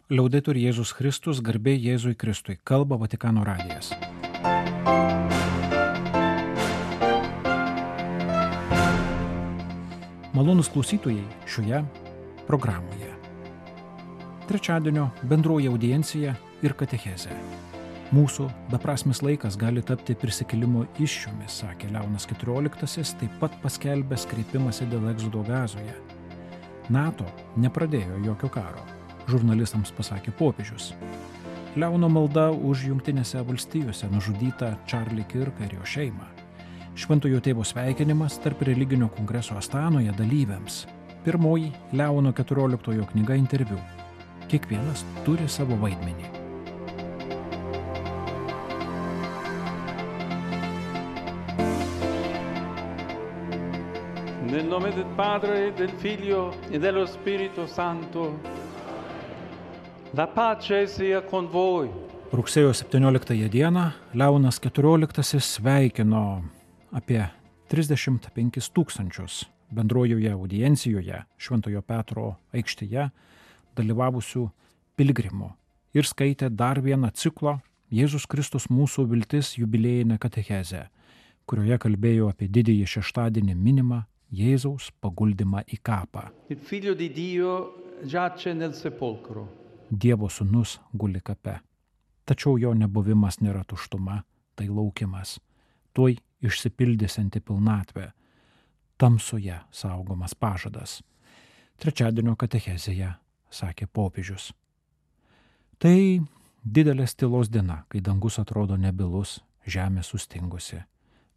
Liaudetur Jėzus Kristus, garbė Jėzui Kristui, kalba Vatikano radijas. Malonūs klausytojai šioje programoje. Trečiadienio bendroji audiencija ir katechezė. Mūsų beprasmis laikas gali tapti prisikėlimo iššūmis, sakė Leonas XIV, taip pat paskelbęs kreipimąsi dėl egzodo Gazoje. NATO nepradėjo jokio karo, žurnalistams pasakė popiežius. Leono malda už Jungtinėse valstijose nužudytą Charlie Kirką ir jo šeimą. Šventojo tėvo sveikinimas tarp religinio kongreso Astanoje dalyviams. Pirmoji Leono XIV knyga interviu. Kiekvienas turi savo vaidmenį. Nel nome del Padre, del Figlio e dello Spirito Santo. La pace sia con voi. Rugsėjo 17 dieną Leonas XIV sveikino apie 35 000 bendrojoje audiencijoje Šventojo Petro aikštėje dalyvavusių piligrimų ir skaitė dar vieną ciklo Jėzus Kristus mūsų viltis jubiliejinę katechezę, kurioje kalbėjo apie didįjį šeštadienį minimą Jėzaus paguldymą į kapą. Il Figlio di Dio giace nel sepolcro. Dievo sūnus guli kape. Tačiau jo nebuvimas nėra tuštuma, tai laukimas. Tuoj išsipildysianti pilnatvė. Tamsoje saugomas pažadas. Trečiadienio katechezėje sakė popiežius. Tai didelės tylos diena, kai dangus atrodo nebylus, žemė sustingusi.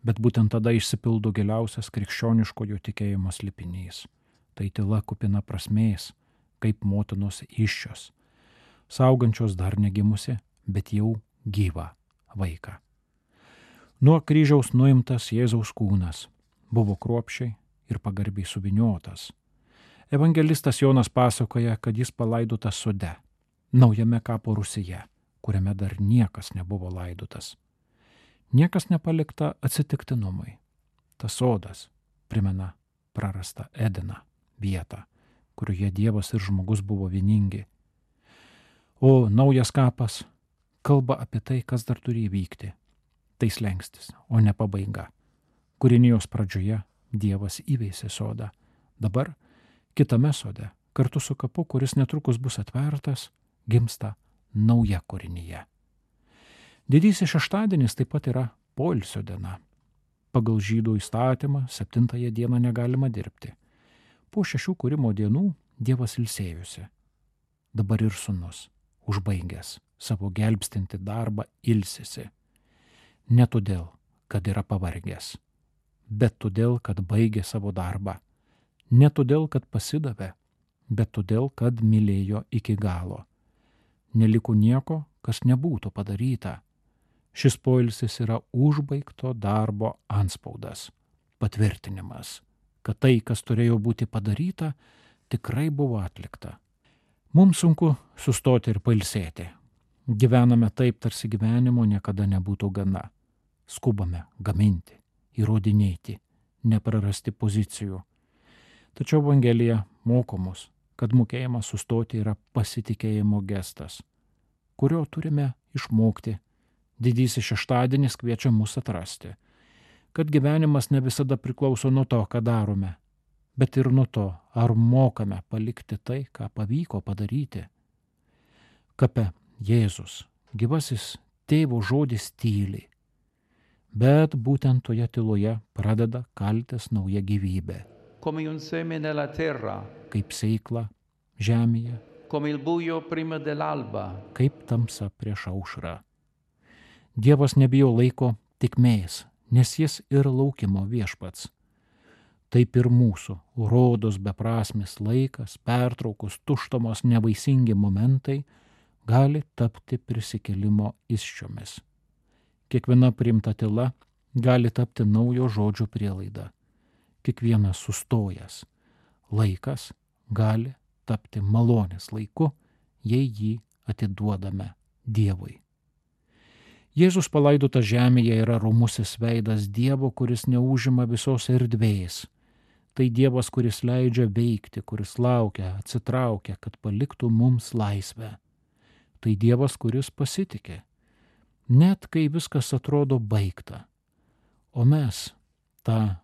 Bet būtent tada išsipildo giliausias krikščioniškojo tikėjimo slėpinys. Tai tyla kupina prasmės, kaip motinos įsčios, saugančios dar negimusi, bet jau gyvą vaiką. Nuo kryžiaus nuimtas Jėzaus kūnas buvo kruopščiai ir pagarbiai suvyniotas. Evangelistas Jonas pasakoja, kad jis palaidotas sode, naujame kapo rūsyje, kuriame dar niekas nebuvo laidotas. Niekas nepalikta atsitiktinumui. Tas sodas primena prarastą Edeną, vietą, kurioje Dievas ir žmogus buvo vieningi. O naujas kapas kalba apie tai, kas dar turi įvykti. Tai slenkstis, o ne pabaiga. Kūrinijos pradžioje Dievas įveisė sodą. Dabar kitame sode, kartu su kapu, kuris netrukus bus atvertas, gimsta nauja kūrinyje. Didysis šeštadienis taip pat yra poilsio diena. Pagal žydų įstatymą 7 dieną negalima dirbti. Po 6 kūrimo dienų Dievas ilsėjosi. Dabar ir sūnus, užbaigęs savo gelbstinti darbą, ilsisi. Ne todėl, kad yra pavargęs, bet todėl, kad baigė savo darbą. Ne todėl, kad pasidavė, bet todėl, kad mylėjo iki galo. Neliko nieko, kas nebūtų padaryta. Šis poilsis yra užbaigto darbo antspaudas, patvirtinimas, kad tai, kas turėjo būti padaryta, tikrai buvo atlikta. Mums sunku sustoti ir pailsėti. Gyvename taip, tarsi gyvenimo niekada nebūtų gana. Skubame gaminti, įrodinėti, neprarasti pozicijų. Tačiau Evangelija moko mus, kad mokėjimas sustoti yra pasitikėjimo gestas, kurio turime išmokti. Didysis šeštadienis kviečia mus atrasti, kad gyvenimas ne visada priklauso nuo to, ką darome, bet ir nuo to, ar mokame palikti tai, ką pavyko padaryti. Kape Jėzus, gyvasis tėvo žodis tyli, bet būtent toje tyloje pradeda kaltis nauja gyvybė. Come un seme nella terra, Kaip sėkla žemėje, come il buio prima dell'alba. kaip tamsa prieš aušrą. Dievas nebijo laiko tikmės, nes jis ir laukimo viešpats. Taip ir mūsų rodos beprasmis laikas, pertraukus, tuštumos, nevaisingi momentai gali tapti prisikėlimo įsčiomis. Kiekviena priimta tyla gali tapti naujo žodžio prielaida. Kiekvienas sustojęs laikas gali tapti malonės laiku, jei jį atiduodame Dievui. Jėzus palaidotas žemėje yra romusis veidas Dievo, kuris neužima visos erdvės. Tai Dievas, kuris leidžia veikti, kuris laukia, atsitraukia, kad paliktų mums laisvę. Tai Dievas, kuris pasitikė, net kai viskas atrodo baigta. O mes tą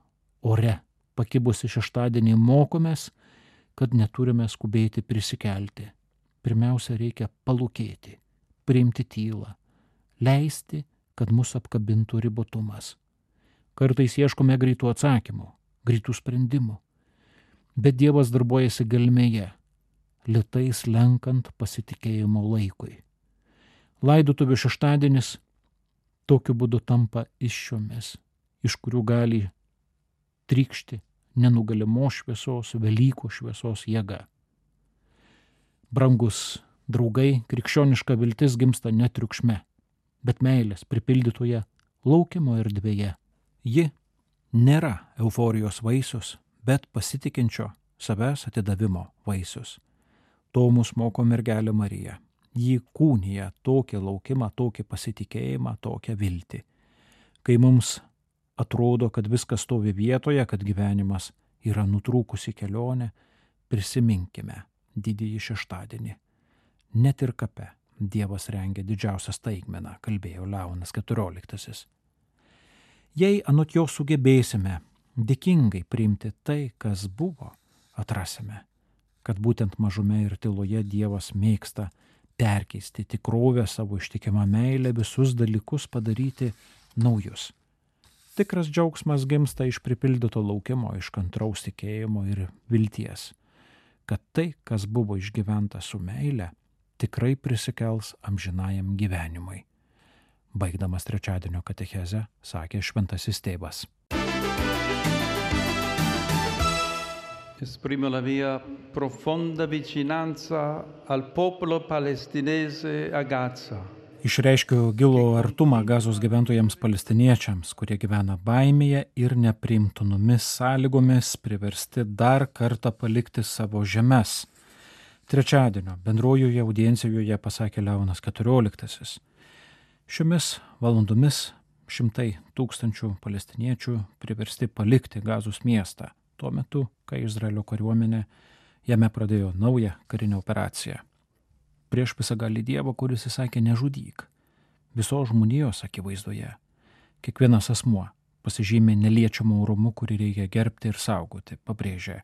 ore pakibusi šeštadienį mokomės, kad neturime skubėti prisikelti. Pirmiausia, reikia palūkėti, priimti tylą, leisti, kad mus apkabintų ribotumas. Kartais ieškome greitų atsakymų, greitų sprendimų, bet Dievas darbuojasi gelmėje, lėtai slenkant pasitikėjimo laikui. Laidotuvių šeštadienis tokiu būdu tampa iššiomis, iš kurių gali trykšti nenugalimos šviesos, Velykų šviesos jėga. Brangus draugai, krikščioniška viltis gimsta ne triukšme, bet meilės pripildytoje laukimo erdvėje. Ji nėra euforijos vaisius, bet pasitikinčio savęs atidavimo vaisius. To mus moko mergelė Marija. Ji kūnija tokį laukimą, tokį pasitikėjimą, tokią viltį. Kai mums atrodo, kad viskas stovi vietoje, kad gyvenimas yra nutrūkusi kelionė, prisiminkime didįjį šeštadienį. Net ir kape Dievas rengia didžiausią staigmeną, kalbėjo Leonas XIV. Jei anot jo sugebėsime dėkingai priimti tai, kas buvo, atrasime, kad būtent mažume ir tyloje Dievas mėgsta perkeisti tikrovę savo ištikimą meilę, visus dalykus padaryti naujus. Tikras džiaugsmas gimsta iš pripildyto laukimo, iš kantraus tikėjimo ir vilties, kad tai, kas buvo išgyventa su meile, tikrai prisikels amžinajam gyvenimui. Baigdamas trečiadienio katechezę, sakė šventasis tėvas. Esprimo la mia profonda vicinanza al popolo palestinese a Gaza. Išreiškiu gilų artumą Gazos gyventojams palestiniečiams, kurie gyvena baimėje ir nepriimtinomis sąlygomis, priversti dar kartą palikti savo žemes. Trečiadienio bendrojoje audiencijoje pasakė Leonas XIV. Šiomis valandomis 100 000 palestiniečių priversti palikti Gazos miestą, tuo metu, kai Izraelio kariuomenė jame pradėjo naują karinę operaciją. Prieš visagalį Dievą, kuris įsakė nežudyk. Visos žmonijos akivaizdoje. Kiekvienas asmuo pasižymė neliečiamu orumu, kurį reikia gerbti ir saugoti, pabrėžė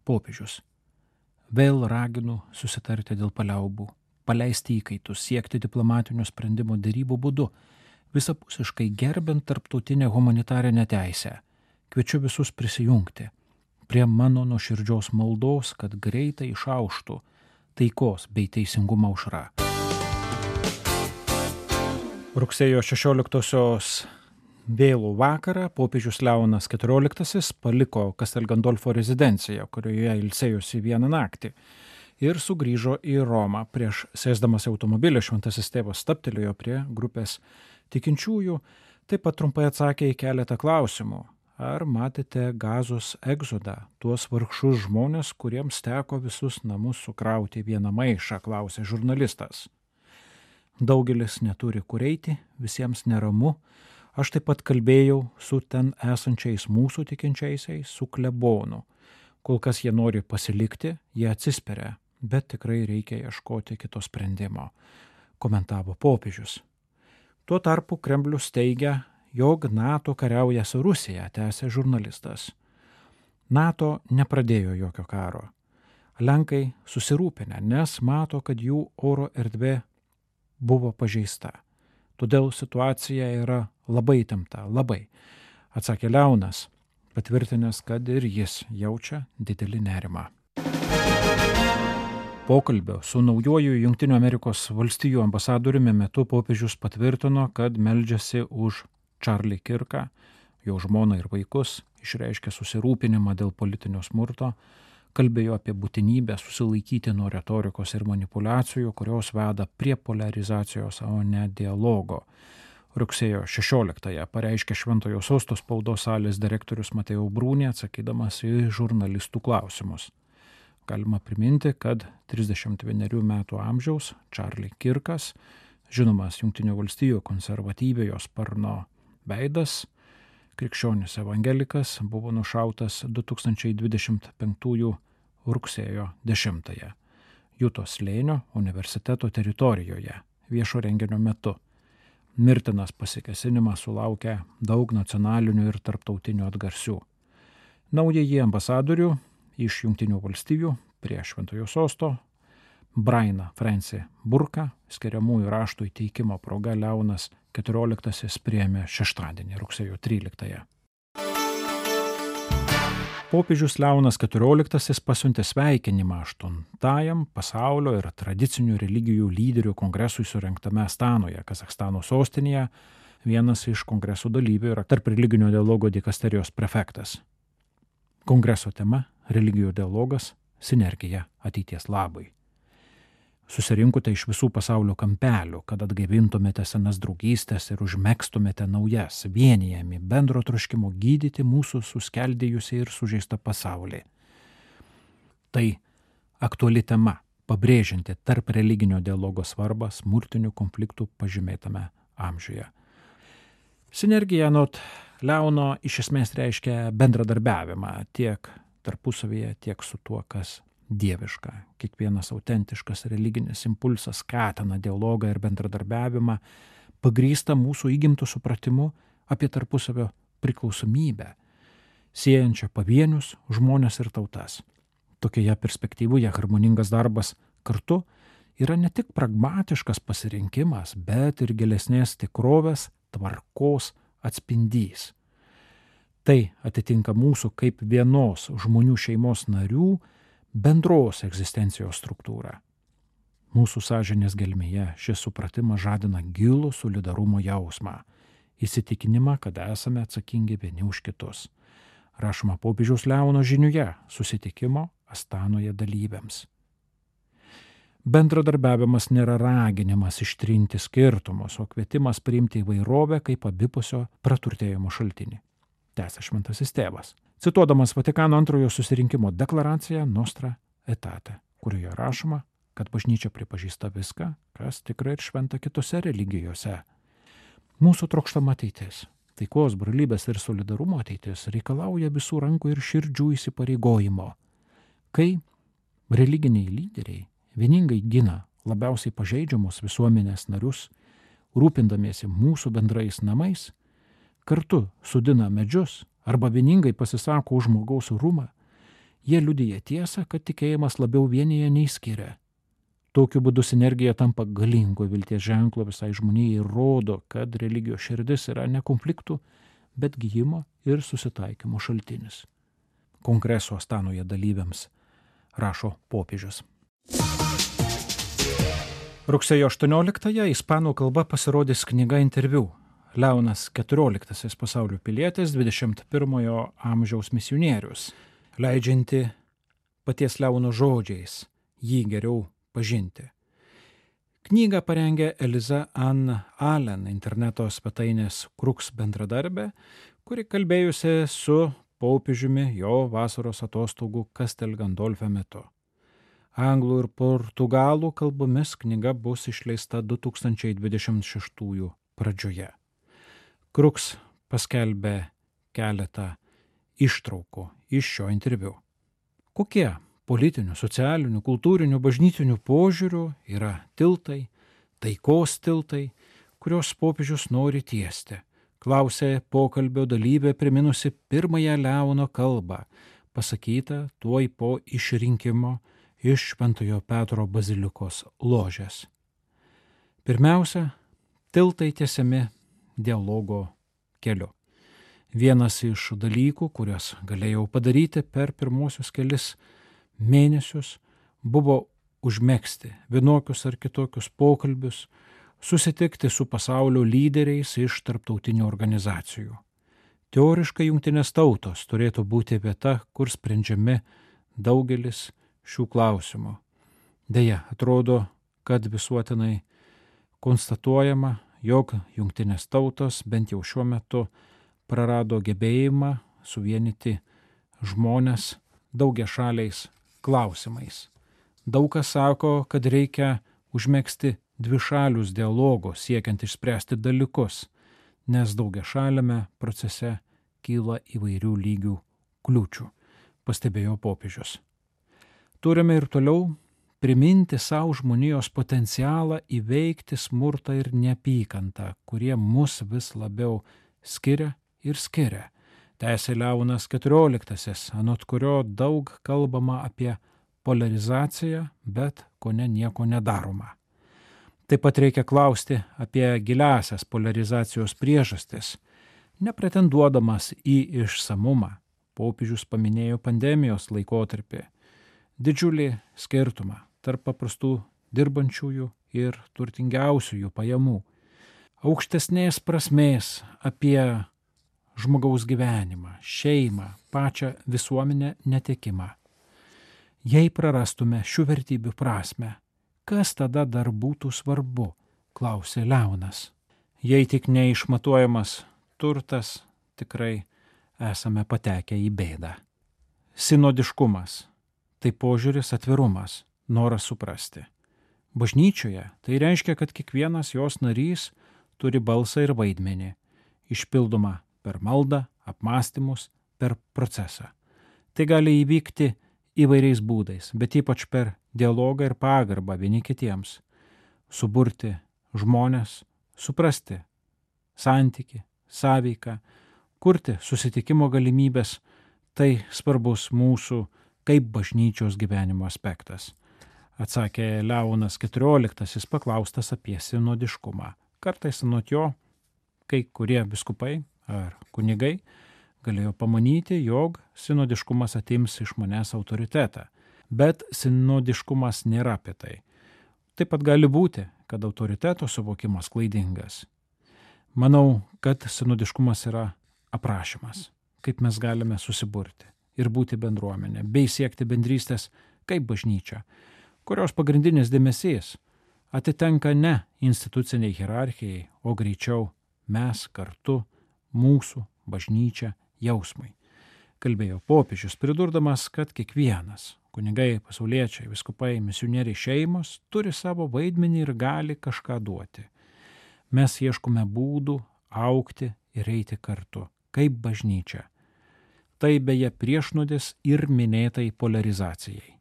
popiežius. Vėl raginu susitarti dėl paliaubų, paleisti įkaitus, siekti diplomatinio sprendimo derybų būdu, visapusiškai gerbent tarptautinę humanitarinę teisę. Kviečiu visus prisijungti prie mano nuoširdžios maldos, kad greitai išauštų taikos bei teisingumo aušra. Rugsėjo 16-osios vėlų vakarą popiežius Leonas XIV paliko Castel Gandolfo rezidenciją, kurioje ilsėjosi vieną naktį, ir sugrįžo į Romą. Prieš sėsdamas į automobilį šventasis tėvas stabtelėjo prie grupės tikinčiųjų, taip pat trumpai atsakė į keletą klausimų. Ar matėte Gazos egzodą, tuos vargšus žmonės, kuriems teko visus namus sukrauti vieną maišą, klausė žurnalistas. Daugelis neturi kur eiti, visiems neramu. Aš taip pat kalbėjau su ten esančiais mūsų tikinčiaisiais, su klebonu. Kol kas jie nori pasilikti, jie atsisperia, bet tikrai reikia ieškoti kito sprendimo, komentavo popiežius. Tuo tarpu Kremlius teigia, jog NATO kariauja su Rusija, tęsė žurnalistas. NATO nepradėjo jokio karo. Lenkai susirūpinę, nes mato, kad jų oro erdvė buvo pažeista. Todėl situacija yra labai įtempta, labai, atsakė Leonas, patvirtinęs, kad ir jis jaučia didelį nerimą. Pokalbio su naujuoju Jungtinių Amerikos valstijų ambasadoriumi metu popiežius patvirtino, kad meldžiasi už Charlie Kirką, jo žmoną ir vaikus, išreiškė susirūpinimą dėl politinio smurto, kalbėjo apie būtinybę susilaikyti nuo retorikos ir manipulacijų, kurios veda prie polarizacijos, o ne dialogo. Rugsėjo 16-ąją pareiškė Šventojo Sosto spaudos salės direktorius Mateo Bruni, atsakydamas į žurnalistų klausimus. Galima priminti, kad 31 metų amžiaus Charlie Kirkas, žinomas Jungtinių valstijų konservatyviojo sparno veidas, krikščionis evangelikas, buvo nušautas 2025 rugsėjo 10-ąją. Jutos slėnio universiteto teritorijoje viešo renginio metu. Mirtinas pasikėsinimas sulaukė daug nacionalinių ir tarptautinių atgarsių. Naująjį ambasadorių iš Jungtinių valstijų prie Šventojo sosto Brainą Francį Burką skiriamųjų raštų įteikimo proga Leonas XIV priėmė šeštadienį, rugsėjo 13. Popiežius Leonas XIV pasiuntė sveikinimą 8-ajam pasaulio ir tradicinių religijų lyderių kongresui surengtame Astanoje, Kazachstano sostinėje. Vienas iš kongreso dalyvių yra tarp religinio dialogo dikasterijos prefektas. Kongreso tema – religijų dialogas, sinergija ateities labui. Susirinkote iš visų pasaulio kampelių, kad atgaivintumėte senas draugystės ir užmegztumėte naujas, vienijami bendro troškimo gydyti mūsų suskeldėjusią ir sužeistą pasaulį. Tai aktuali tema, pabrėžianti tarp religinio dialogo svarbą smurtinių konfliktų pažymėtame amžiuje. Sinergija anot Leono iš esmės reiškia bendradarbiavimą tiek tarpusavyje, tiek su tuo, kas dieviška. Kiekvienas autentiškas religinis impulsas skatina dialogą ir bendradarbiavimą, pagrįstą mūsų įgimtų supratimu apie tarpusavio priklausomybę, siejančią pavienius žmones ir tautas. Tokioje perspektyvoje harmoningas darbas kartu yra ne tik pragmatiškas pasirinkimas, bet ir gilesnės tikrovės, tvarkos atspindys. Tai atitinka mūsų kaip vienos žmonių šeimos narių bendros egzistencijos struktūrą. Mūsų sąžinės gelmėje šis supratimas žadina gilų solidarumo jausmą, įsitikinimą, kad esame atsakingi vieni už kitus. Rašoma popiežiaus Leono žiniuje susitikimo Astanoje dalyviams. Bendradarbiavimas nėra raginimas ištrinti skirtumus, o kvietimas priimti įvairovę kaip abipusio praturtėjimo šaltinį. Tęsia Šventasis Tėvas, cituodamas Vatikano antrojo susirinkimo deklaraciją Nostra Aetate, kurioje rašoma, kad bažnyčia pripažįsta viską, kas tikrai ir šventa kitose religijose. Mūsų trokštama ateitis, taikos, brolybės ir solidarumo ateitis reikalauja visų rankų ir širdžių įsipareigojimo. Kai religiniai lyderiai vieningai gina labiausiai pažeidžiamus visuomenės narius, rūpindamiesi mūsų bendrais namais, kartu sodina medžius arba vieningai pasisako už žmogaus orumą, jie liudija tiesą, kad tikėjimas labiau vienyje nei skiria. Tokiu būdu sinergija tampa galingo vilties ženklo visai žmonijai ir rodo, kad religijos širdis yra ne konfliktų, bet gijimo ir susitaikymo šaltinis. Kongreso Astanoje dalyviams rašo popiežius. Rugsėjo 18-ąją ispanų kalba pasirodys knyga interviu Leonas XIV pasaulio pilietis, 21 amžiaus misionierius, leidžianti paties Leono žodžiais jį geriau pažinti. Knygą parengė Eliza Ann Allen, interneto svetainės Crux bendradarbė, kuri kalbėjusi su popiežiumi jo vasaros atostogų Castel Gandolfe metu. Anglų ir portugalų kalbomis knyga bus išleista 2026 pradžioje. Crux paskelbė keletą ištraukų iš šio interviu. Kokie politinių, socialinių, kultūrinių, bažnytinių požiūrių yra tiltai, taikos tiltai, kurios popiežius nori tiesti, klausė pokalbio dalyvė priminusi pirmąją Leono kalbą, pasakytą tuoj po išrinkimo iš Šventojo Petro bazilikos ložės. Pirmiausia, tiltai tiesiami dialogo keliu. Vienas iš dalykų, kuriuos galėjau padaryti per pirmosius kelis mėnesius, buvo užmegzti vienokius ar kitokius pokalbius, susitikti su pasaulio lyderiais iš tarptautinių organizacijų. Teoriškai Jungtinės tautos turėtų būti vieta, kur sprendžiami daugelis šių klausimų. Deja, atrodo, kad visuotinai konstatuojama, jog Jungtinės tautos bent jau šiuo metu prarado gebėjimą suvienyti žmones daugiašaliais klausimais. Daug kas sako, kad reikia užmegzti dvišalius dialogos siekiant išspręsti dalykus, nes daugiašaliame procese kyla įvairių lygių kliūčių, pastebėjo popiežius. Turime ir toliau priminti savo žmonijos potencialą įveikti smurtą ir neapykantą, kurie mus vis labiau skiria ir skiria. Tęsė Leonas XIV, anot kurio daug kalbama apie polarizaciją, bet kone nieko nedaroma. Taip pat reikia klausti apie giliasias polarizacijos priežastis. Nepretenduodamas į išsamumą, popiežius paminėjo pandemijos laikotarpį, didžiulį skirtumą tarp paprastų dirbančiųjų ir turtingiausiųjų pajamų, aukštesnės prasmės apie žmogaus gyvenimą, šeimą, pačią visuomenę netekimą. Jei prarastume šių vertybių prasmę, kas tada dar būtų svarbu, klausė Leonas. Jei tik neišmatuojamas turtas, tikrai esame patekę į bėdą. Sinodiškumas – tai požiūris, atvirumas, noras suprasti. Bažnyčioje tai reiškia, kad kiekvienas jos narys turi balsą ir vaidmenį, išpildomą per maldą, apmąstymus, per procesą. Tai gali įvykti įvairiais būdais, bet ypač per dialogą ir pagarbą vieni kitiems. Suburti žmonės, suprasti santykį, sąveiką, kurti susitikimo galimybės – tai svarbus mūsų kaip bažnyčios gyvenimo aspektas. Atsakė Leonas XIV, paklaustas apie sinodiškumą. Kartais anot jo, kai kurie viskupai ar kunigai galėjo pamanyti, jog sinodiškumas atims iš manęs autoritetą. Bet sinodiškumas nėra apie tai. Taip pat gali būti, kad autoriteto suvokimas klaidingas. Manau, kad sinodiškumas yra aprašymas, kaip mes galime susiburti ir būti bendruomenė, bei siekti bendrystės kaip bažnyčia, kurios pagrindinis dėmesys atitenka ne instituciniai hierarchijai, o greičiau mes kartu, mūsų bažnyčia jausmai. Kalbėjo popiežius, pridurdamas, kad kiekvienas kunigai, pasauliečiai, viskupai, misionieriai, šeimos turi savo vaidmenį ir gali kažką duoti. Mes ieškome būdų augti ir eiti kartu, kaip bažnyčia. Tai beje priešnuodis ir minėtai polarizacijai.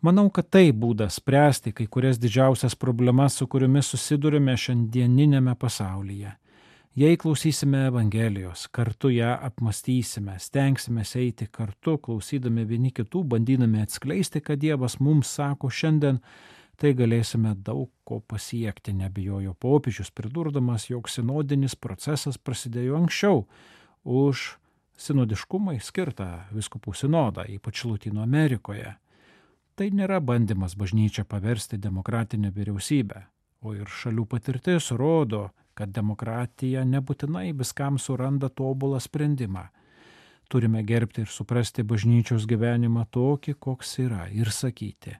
Manau, kad tai būdas spręsti kai kurias didžiausias problemas, su kuriomis susidurime šiandieninėme pasaulyje. Jei klausysime Evangelijos, kartu ją apmąstysime, stengsime eiti kartu, klausydami vieni kitų, bandydami atskleisti, kad Dievas mums sako šiandien, tai galėsime daug ko pasiekti, nebijojo popiežius, pridurdamas, jog sinodinis procesas prasidėjo anksčiau už sinodiškumai skirtą vyskupų sinodą, ypač Lotynų Amerikoje. Tai nėra bandymas bažnyčią paversti demokratinę vyriausybę, o ir šalių patirtis rodo, kad demokratija nebūtinai viskam suranda tobulą sprendimą. Turime gerbti ir suprasti bažnyčios gyvenimą tokį, koks yra, ir sakyti,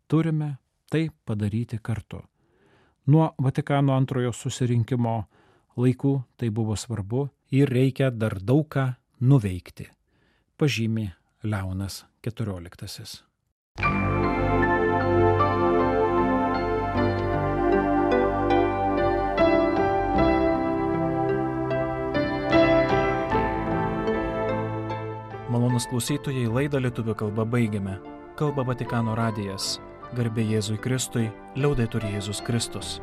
turime tai padaryti kartu. Nuo Vatikano antrojo susirinkimo laikų tai buvo svarbu ir reikia dar daug ką nuveikti, pažymi Leonas XIV. Malonūs klausytojai, laidą lietuvių kalba baigiame. Kalba Vatikano radijas. Garbė Jėzui Kristui, liaudetur Jėzus Kristus.